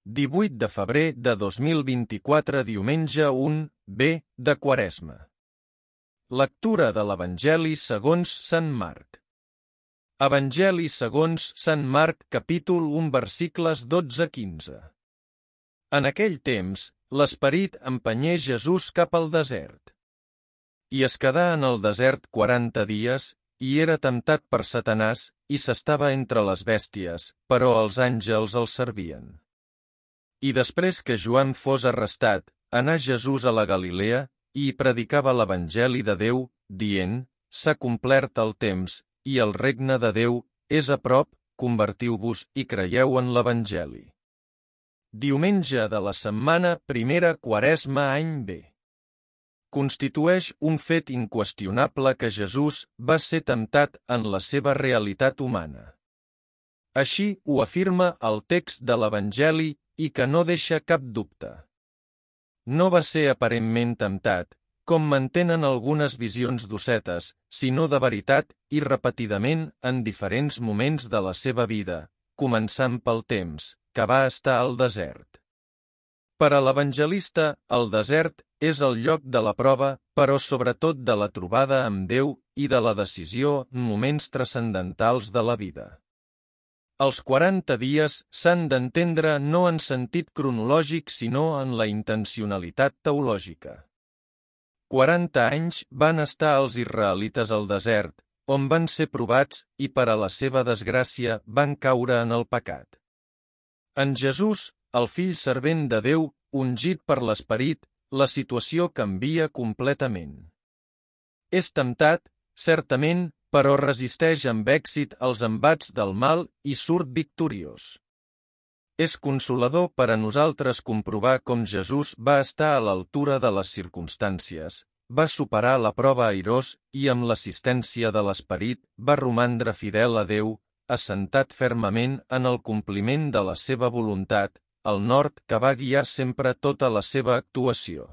18 de febrer de 2024, diumenge 1B de Quaresma. Lectura de l'Evangeli segons Sant Marc. Evangeli segons Sant Marc, capítol 1, versicles 12-15. En aquell temps, l'Esperit empenyé Jesús cap al desert. I es quedà en el desert 40 dies, i era temptat per Satanàs, i s'estava entre les bèsties, però els àngels el servien. I després que Joan fos arrestat, anà Jesús a la Galilea, i hi predicava l'Evangeli de Déu, dient: s'ha complert el temps, i el regne de Déu és a prop, convertiu-vos i creieu en l'Evangeli. Diumenge de la setmana primera, Quaresma, any B. Constitueix un fet inqüestionable que Jesús va ser temptat en la seva realitat humana. Així ho afirma el text de l'Evangeli i que no deixa cap dubte. No va ser aparentment temptat, com mantenen algunes visions d'ossetes, sinó de veritat i repetidament en diferents moments de la seva vida, començant pel temps que va estar al desert. Per a l'evangelista, el desert és el lloc de la prova, però sobretot de la trobada amb Déu i de la decisió en moments transcendentals de la vida. Els 40 dies s'han d'entendre no en sentit cronològic sinó en la intencionalitat teològica. 40 anys van estar els israelites al desert, on van ser provats i per a la seva desgràcia van caure en el pecat. En Jesús, el fill servent de Déu, ungit per l'Esperit, la situació canvia completament. És temptat, certament, però resisteix amb èxit als embats del mal i surt victoriós. És consolador per a nosaltres comprovar com Jesús va estar a l'altura de les circumstàncies, va superar la prova airós i amb l'assistència de l'Esperit va romandre fidel a Déu, assentat fermament en el compliment de la seva voluntat, el nord que va guiar sempre tota la seva actuació.